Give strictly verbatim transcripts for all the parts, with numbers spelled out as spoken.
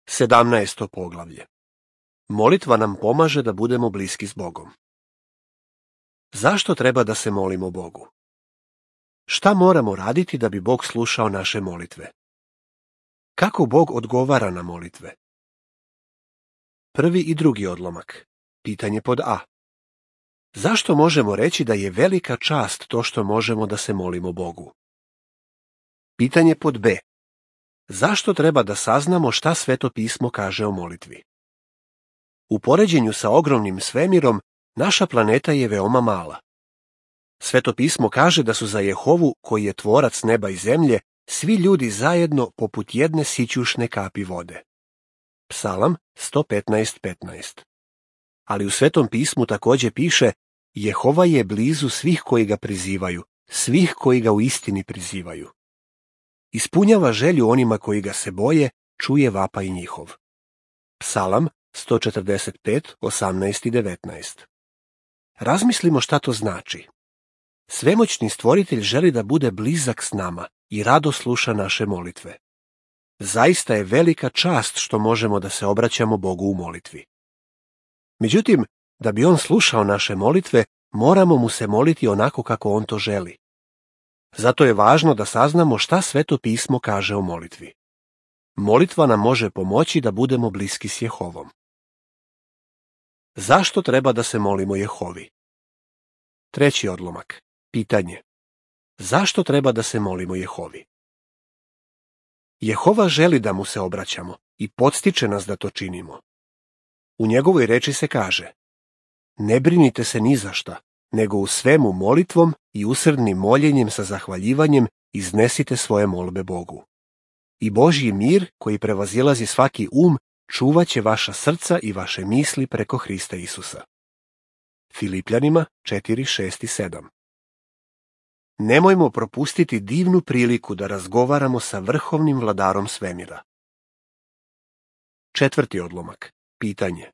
Sedamnaesto poglavlje. Molitva nam pomaže da budemo bliski s Bogom. Zašto treba da se molimo Bogu? Šta moramo raditi da bi Bog slušao naše molitve? Kako Bog odgovara na molitve? Prvi i drugi odlomak. Pitanje pod A. Zašto možemo reći da je velika čast to što možemo da se molimo Bogu? Pitanje pod B. Zašto treba da saznamo šta Sveto pismo kaže o molitvi? U poređenju sa ogromnim svemirom, naša planeta je veoma mala. Sveto pismo kaže da su za Jehovu, koji je tvorac neba i zemlje, svi ljudi zajedno poput jedne sićušne kapi vode. Psalam sto petnaest petnaest. Ali u Svetom pismu takođe piše: Jehova je blizu svih koji ga prizivaju, svih koji ga u istini prizivaju. Ispunjava želju onima koji ga se boje, čuje vapaj njihov. Psalam sto četrdeset pet, osamnaest i devetnaest. Razmislimo šta to znači. Svemoćni stvoritelj želi da bude blizak s nama i rado sluša naše molitve. Zaista je velika čast što možemo da se obraćamo Bogu u molitvi. Međutim, da bi on slušao naše molitve, moramo mu se moliti onako kako on to želi. Zato je važno da saznamo šta Sveto pismo kaže o molitvi. Molitva nam može pomoći da budemo bliski s Jehovom. Zašto treba da se molimo Jehovi? Treći odlomak. Pitanje. Zašto treba da se molimo Jehovi? Jehova želi da mu se obraćamo i podstiče nas da to činimo. U njegovoj reči se kaže: Ne brinite se ni za šta, nego u svemu molitvom i usrdnim moljenjem sa zahvaljivanjem iznesite svoje molbe Bogu. I Božji mir, koji prevazilazi svaki um, čuvaće vaša srca i vaše misli preko Hrista Isusa. Filipljanima četiri, šest i sedam. Nemojmo propustiti divnu priliku da razgovaramo sa vrhovnim vladarom svemira. Četvrti odlomak. Pitanje.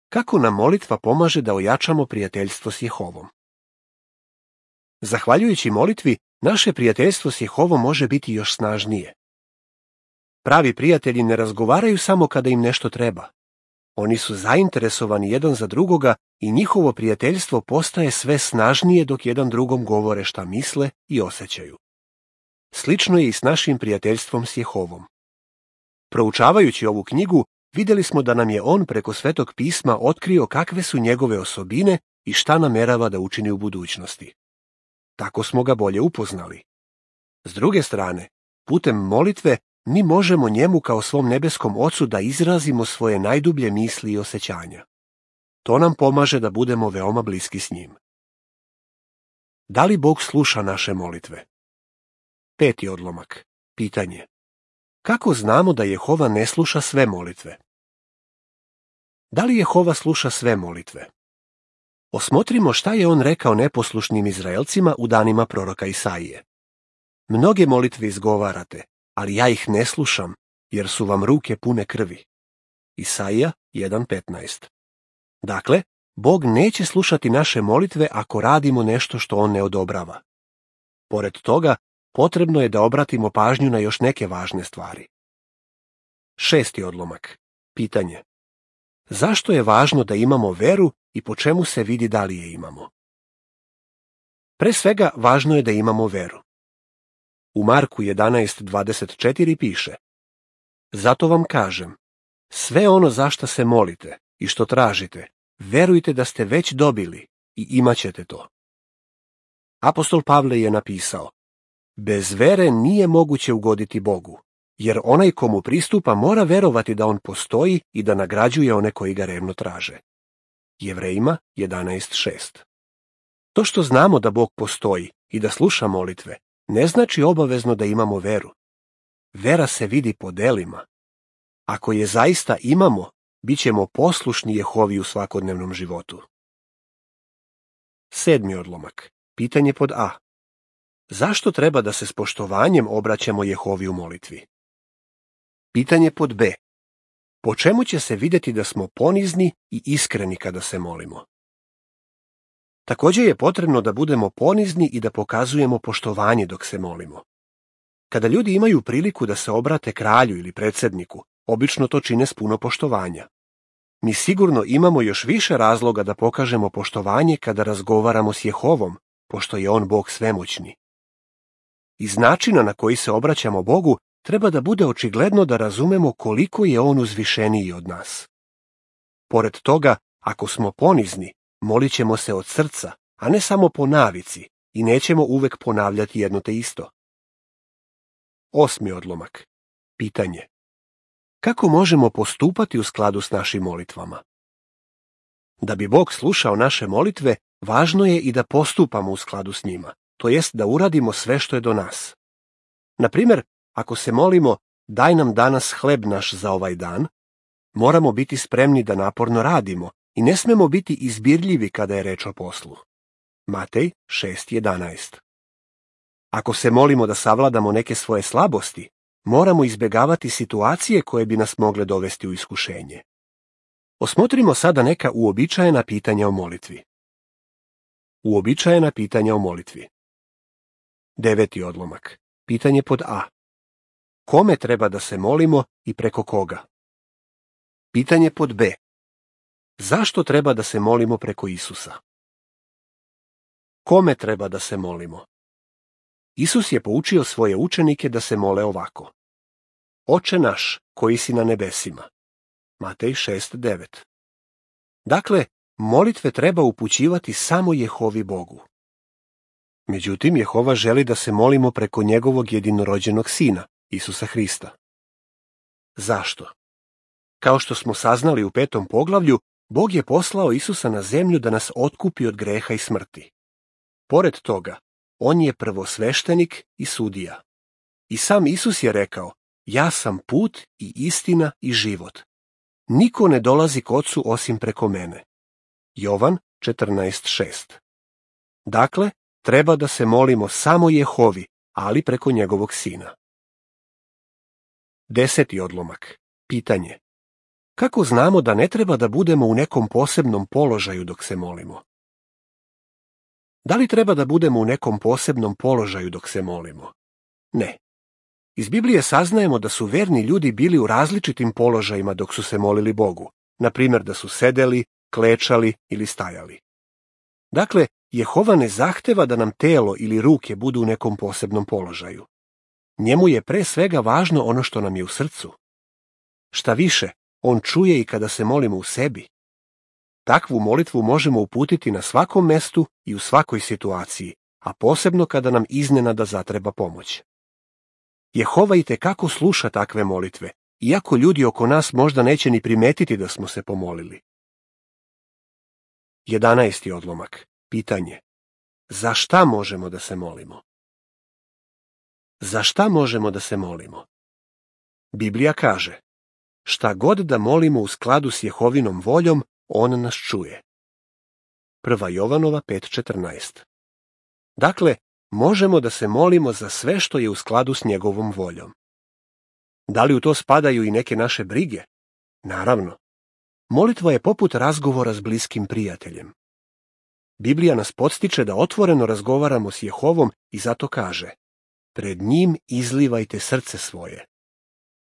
Kako nam molitva pomaže da ojačamo prijateljstvo s Jehovom? Zahvaljujući molitvi, naše prijateljstvo s Jehovom može biti još snažnije. Pravi prijatelji ne razgovaraju samo kada im nešto treba. Oni su zainteresovani jedan za drugoga i njihovo prijateljstvo postaje sve snažnije dok jedan drugom govore šta misle i osjećaju. Slično je i s našim prijateljstvom s Jehovom. Proučavajući ovu knjigu, vidjeli smo da nam je on preko Svetog pisma otkrio kakve su njegove osobine i šta namerava da učini u budućnosti. Tako smo ga bolje upoznali. S druge strane, putem molitve mi možemo njemu kao svom nebeskom Ocu da izrazimo svoje najdublje misli i osjećanja. To nam pomaže da budemo veoma bliski s njim. Da li Bog sluša naše molitve? Peti odlomak. Pitanje. Kako znamo da Jehova ne sluša sve molitve? Da li Jehova sluša sve molitve? Osmotrimo šta je on rekao neposlušnim Izraelcima u danima proroka Isaije. Mnoge molitve izgovarate, ali ja ih ne slušam, jer su vam ruke pune krvi. Isaija jedan petnaest. Dakle, Bog neće slušati naše molitve ako radimo nešto što on ne odobrava. Pored toga, potrebno je da obratimo pažnju na još neke važne stvari. Šesti odlomak. Pitanje. Zašto je važno da imamo veru i po čemu se vidi da li je imamo? Pre svega, važno je da imamo veru. U Marku jedanaest dvadeset četiri piše: Zato vam kažem, sve ono za šta se molite i što tražite, verujte da ste već dobili i imaćete to. Apostol Pavle je napisao: Bez vere nije moguće ugoditi Bogu, jer onaj komu pristupa mora verovati da on postoji i da nagrađuje one koji ga revno traže. Jevrejima jedanaest šest. To što znamo da Bog postoji i da sluša molitve, ne znači obavezno da imamo veru. Vera se vidi po delima. Ako je zaista imamo, bit ćemo poslušni Jehovi u svakodnevnom životu. Sedmi odlomak. Pitanje pod A. Zašto treba da se s poštovanjem obraćamo Jehovi u molitvi? Pitanje pod B. Po čemu će se vidjeti da smo ponizni i iskreni kada se molimo? Također je potrebno da budemo ponizni i da pokazujemo poštovanje dok se molimo. Kada ljudi imaju priliku da se obrate kralju ili predsjedniku, obično to čine s puno poštovanja. Mi sigurno imamo još više razloga da pokažemo poštovanje kada razgovaramo s Jehovom, pošto je on Bog svemoćni. Iz načina na koji se obraćamo Bogu treba da bude očigledno da razumemo koliko je on uzvišeniji od nas. Pored toga, ako smo ponizni, molit ćemo se od srca, a ne samo po navici, i nećemo uvek ponavljati jedno te isto. Osmi odlomak. Pitanje. Kako možemo postupati u skladu s našim molitvama? Da bi Bog slušao naše molitve, važno je i da postupamo u skladu s njima, to jest da uradimo sve što je do nas. Na primjer, ako se molimo daj nam danas hleb naš za ovaj dan, moramo biti spremni da naporno radimo i ne smemo biti izbirljivi kada je reč o poslu. Matej šest jedanaest. Ako se molimo da savladamo neke svoje slabosti, moramo izbjegavati situacije koje bi nas mogle dovesti u iskušenje. Osmotrimo sada neka uobičajena pitanja o molitvi. Uobičajena pitanja o molitvi. Deveti odlomak. Pitanje pod A. Kome treba da se molimo i preko koga? Pitanje pod B. Zašto treba da se molimo preko Isusa? Kome treba da se molimo? Isus je poučio svoje učenike da se mole ovako. Oče naš, koji si na nebesima. Matej šest devet. Dakle, molitve treba upućivati samo Jehovi Bogu. Međutim, Jehova želi da se molimo preko njegovog jedinorođenog sina, Isusa Hrista. Zašto? Kao što smo saznali u petom poglavlju, Bog je poslao Isusa na zemlju da nas otkupi od greha i smrti. Pored toga, on je prvosveštenik i sudija. I sam Isus je rekao, ja sam put i istina i život. Niko ne dolazi k Ocu osim preko mene. Jovan četrnaest šest. Dakle, treba da se molimo samo Jehovi, ali preko njegovog sina. Deseti odlomak. Pitanje. Kako znamo da ne treba da budemo u nekom posebnom položaju dok se molimo? Da li treba da budemo u nekom posebnom položaju dok se molimo? Ne. Iz Biblije saznajemo da su verni ljudi bili u različitim položajima dok su se molili Bogu, na primjer da su sedeli, klečali ili stajali. Dakle, Jehova ne zahteva da nam telo ili ruke budu u nekom posebnom položaju. Njemu je pre svega važno ono što nam je u srcu. Šta više, on čuje i kada se molimo u sebi. Takvu molitvu možemo uputiti na svakom mestu i u svakoj situaciji, a posebno kada nam iznenada zatreba pomoć. Jehova itekako sluša takve molitve, iako ljudi oko nas možda neće ni primetiti da smo se pomolili. Jedanaesti odlomak. Pitanje. Za šta možemo da se molimo? Za šta možemo da se molimo? Biblija kaže, šta god da molimo u skladu s Jehovinom voljom, on nas čuje. Prva Jovanova pet četrnaest. Dakle, možemo da se molimo za sve što je u skladu s njegovom voljom. Da li u to spadaju i neke naše brige? Naravno. Molitva je poput razgovora s bliskim prijateljem. Biblija nas podstiče da otvoreno razgovaramo s Jehovom i zato kaže, pred njim izlivajte srce svoje.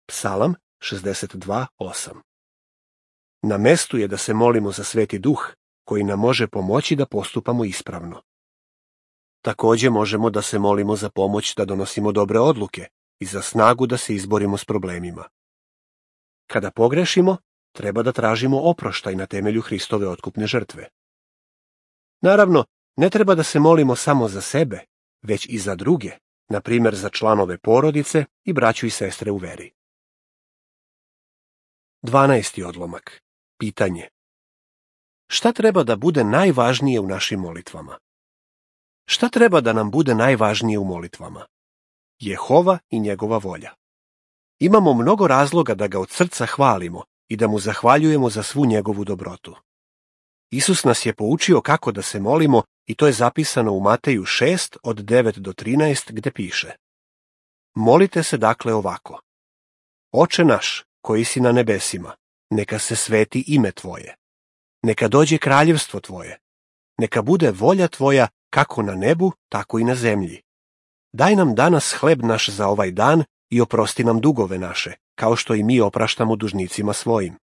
Psalam šezdeset dva osam. Na mestu je da se molimo za Sveti Duh, koji nam može pomoći da postupamo ispravno. Također možemo da se molimo za pomoć da donosimo dobre odluke i za snagu da se izborimo s problemima. Kada pogrešimo, treba da tražimo oproštaj na temelju Hristove otkupne žrtve. Naravno, ne treba da se molimo samo za sebe, već i za druge, na primjer za članove porodice i braću i sestre u veri. Dvanaesti odlomak. Pitanje. Šta treba da bude najvažnije u našim molitvama? Šta treba da nam bude najvažnije u molitvama? Jehova i njegova volja. Imamo mnogo razloga da ga od srca hvalimo i da mu zahvaljujemo za svu njegovu dobrotu. Isus nas je poučio kako da se molimo i to je zapisano u Mateju šest od devet do trinaest gde piše. Molite se dakle ovako. Oče naš, koji si na nebesima, neka se sveti ime tvoje. Neka dođe kraljevstvo tvoje. Neka bude volja tvoja kako na nebu, tako i na zemlji. Daj nam danas hleb naš za ovaj dan i oprosti nam dugove naše, kao što i mi opraštamo dužnicima svojim.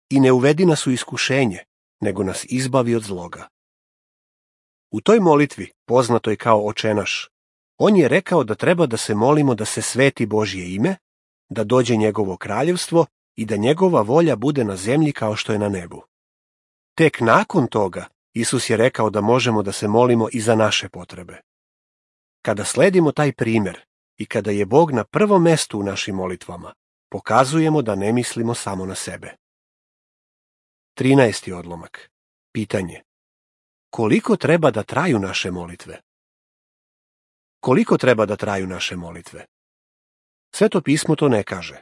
I ne uvedi nas u iskušenje, nego nas izbavi od zloga. U toj molitvi, poznatoj kao Očenaš, on je rekao da treba da se molimo da se sveti Božje ime, da dođe njegovo kraljevstvo i da njegova volja bude na zemlji kao što je na nebu. Tek nakon toga, Isus je rekao da možemo da se molimo i za naše potrebe. Kada sledimo taj primjer i kada je Bog na prvom mestu u našim molitvama, pokazujemo da ne mislimo samo na sebe. trinaesti odlomak. Pitanje. Koliko treba da traju naše molitve? Koliko treba da traju naše molitve? Sveto pismo to ne kaže.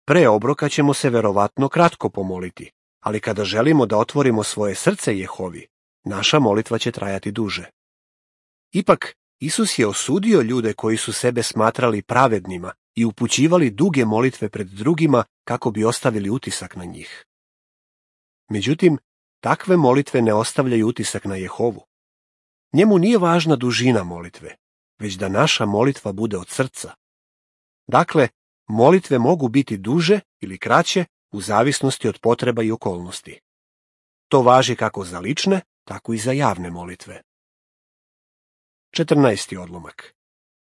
Pre obroka ćemo se verovatno kratko pomoliti, ali kada želimo da otvorimo svoje srce Jehovi, naša molitva će trajati duže. Ipak, Isus je osudio ljude koji su sebe smatrali pravednima i upućivali duge molitve pred drugima kako bi ostavili utisak na njih. Međutim, takve molitve ne ostavljaju utisak na Jehovu. Njemu nije važna dužina molitve, već da naša molitva bude od srca. Dakle, molitve mogu biti duže ili kraće u zavisnosti od potreba i okolnosti. To važi kako za lične, tako i za javne molitve. četrnaesti odlomak.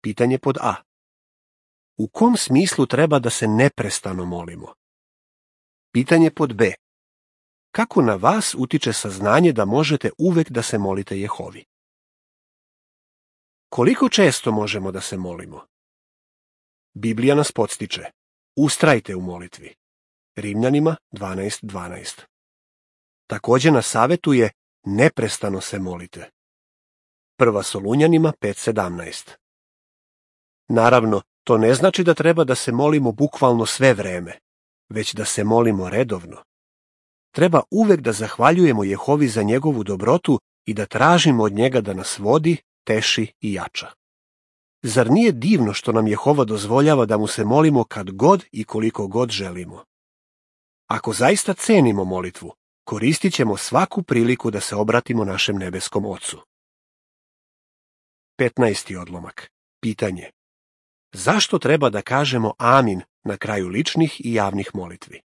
Pitanje pod A. U kom smislu treba da se neprestano molimo? Pitanje pod B. Kako na vas utiče saznanje da možete uvek da se molite Jehovi? Koliko često možemo da se molimo? Biblija nas podstiče. Ustrajte u molitvi. Rimljanima dvanaest dvanaest. Također nas savetuje neprestano se molite. Prva Solunjanima pet sedamnaest. Naravno, to ne znači da treba da se molimo bukvalno sve vreme, već da se molimo redovno. Treba uvek da zahvaljujemo Jehovi za njegovu dobrotu i da tražimo od njega da nas vodi, teši i jača. Zar nije divno što nam Jehova dozvoljava da mu se molimo kad god i koliko god želimo? Ako zaista cenimo molitvu, koristit ćemo svaku priliku da se obratimo našem nebeskom Ocu. petnaesti odlomak. Pitanje. Zašto treba da kažemo amin na kraju ličnih i javnih molitvi?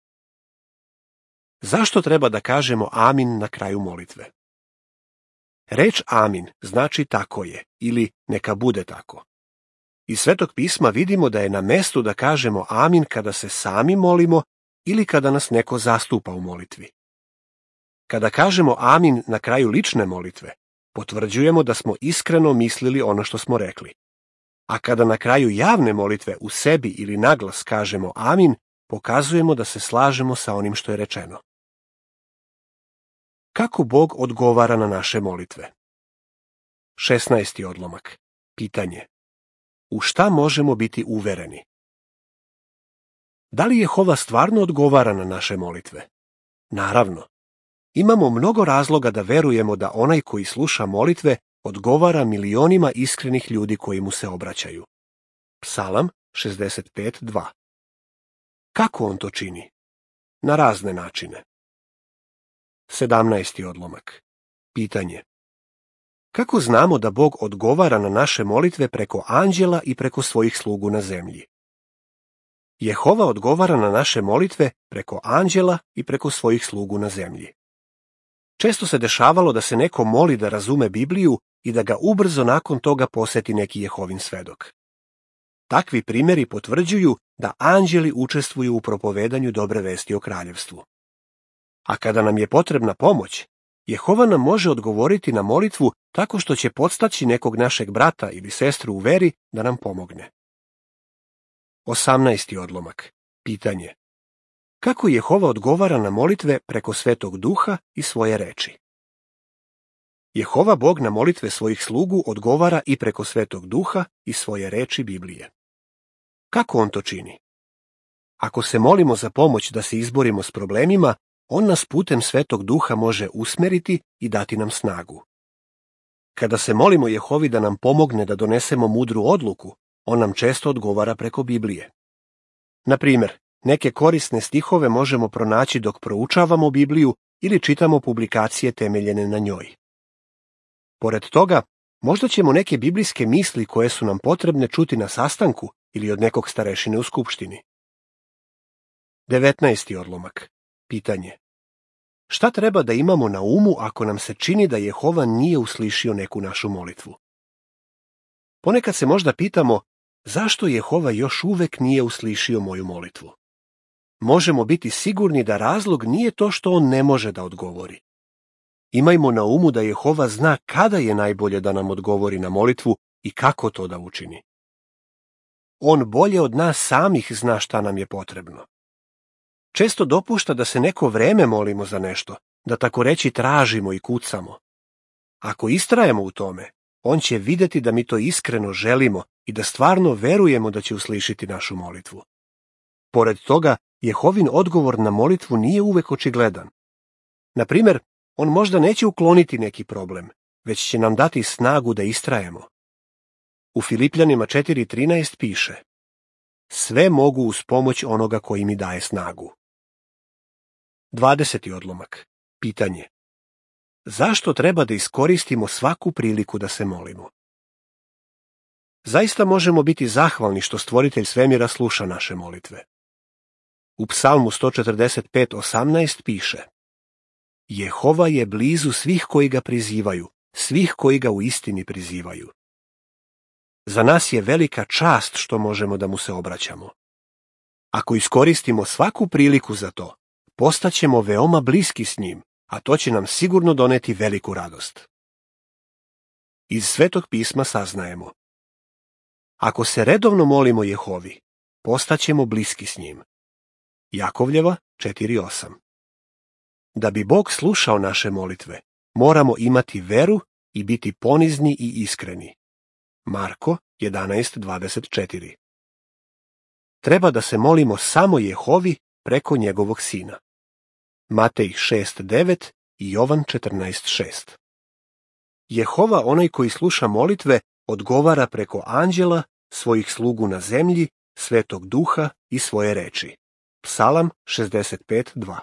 Zašto treba da kažemo amin na kraju molitve? Reč amin znači tako je ili neka bude tako. Iz Svetog pisma vidimo da je na mestu da kažemo amin kada se sami molimo ili kada nas neko zastupa u molitvi. Kada kažemo amin na kraju lične molitve, potvrđujemo da smo iskreno mislili ono što smo rekli. A kada na kraju javne molitve u sebi ili naglas kažemo amin, pokazujemo da se slažemo sa onim što je rečeno. Kako Bog odgovara na naše molitve? šesnaesti odlomak. Pitanje. U šta možemo biti uvereni? Da li Jehova stvarno odgovara na naše molitve? Naravno. Imamo mnogo razloga da verujemo da onaj koji sluša molitve odgovara milionima iskrenih ljudi koji mu se obraćaju. Psalam šezdeset pet dva. Kako on to čini? Na razne načine. sedamnaesti odlomak. Pitanje. Kako znamo da Bog odgovara na naše molitve preko anđela i preko svojih slugu na zemlji? Jehova odgovara na naše molitve preko anđela i preko svojih slugu na zemlji. Često se dešavalo da se neko moli da razume Bibliju i da ga ubrzo nakon toga poseti neki Jehovin svedok. Takvi primjeri potvrđuju da anđeli učestvuju u propovedanju dobre vesti o kraljevstvu. A kada nam je potrebna pomoć, Jehova nam može odgovoriti na molitvu tako što će podstaći nekog našeg brata ili sestru u veri da nam pomogne. osamnaesti odlomak. Pitanje. Kako Jehova odgovara na molitve preko Svetog Duha i svoje reči? Jehova Bog na molitve svojih slugu odgovara i preko Svetog Duha i svoje reči Biblije. Kako on to čini? Ako se molimo za pomoć da se izborimo s problemima, on nas putem Svetog Duha može usmeriti i dati nam snagu. Kada se molimo Jehovi da nam pomogne da donesemo mudru odluku, on nam često odgovara preko Biblije. Na primjer, neke korisne stihove možemo pronaći dok proučavamo Bibliju ili čitamo publikacije temeljene na njoj. Pored toga, možda ćemo neke biblijske misli koje su nam potrebne čuti na sastanku ili od nekog starešine u skupštini. devetnaesti odlomak. Pitanje. Šta treba da imamo na umu ako nam se čini da Jehova nije uslišio neku našu molitvu? Ponekad se možda pitamo zašto Jehova još uvek nije uslišio moju molitvu. Možemo biti sigurni da razlog nije to što on ne može da odgovori. Imajmo na umu da Jehova zna kada je najbolje da nam odgovori na molitvu i kako to da učini. On bolje od nas samih zna šta nam je potrebno. Često dopušta da se neko vreme molimo za nešto, da tako reći tražimo i kucamo. Ako istrajemo u tome, on će videti da mi to iskreno želimo i da stvarno verujemo da će uslišiti našu molitvu. Pored toga, Jehovin odgovor na molitvu nije uvek očigledan. Na primjer, on možda neće ukloniti neki problem, već će nam dati snagu da istrajemo. U Filipljanima četiri trinaest piše: Sve mogu uz pomoć onoga koji mi daje snagu. dvadeseti odlomak. Pitanje. Zašto treba da iskoristimo svaku priliku da se molimo? Zaista možemo biti zahvalni što Stvoritelj svemira sluša naše molitve. U Psalmu sto četrdeset pet osamnaest piše: Jehova je blizu svih koji ga prizivaju, svih koji ga u istini prizivaju. Za nas je velika čast što možemo da mu se obraćamo. Ako iskoristimo svaku priliku za to, postaćemo veoma bliski s njim, a to će nam sigurno doneti veliku radost. Iz Svetog pisma saznajemo: ako se redovno molimo Jehovi, postaćemo bliski s njim. Jakovljeva četiri osam. Da bi Bog slušao naše molitve, moramo imati veru i biti ponizni i iskreni. Marko jedanaest dvadeset četiri. Treba da se molimo samo Jehovi preko njegovog sina. Matej šest devet i Jovan četrnaest šest. Jehova, onaj koji sluša molitve, odgovara preko anđela, svojih slugu na zemlji, Svetog Duha i svoje reči. Psalam šezdeset pet dva.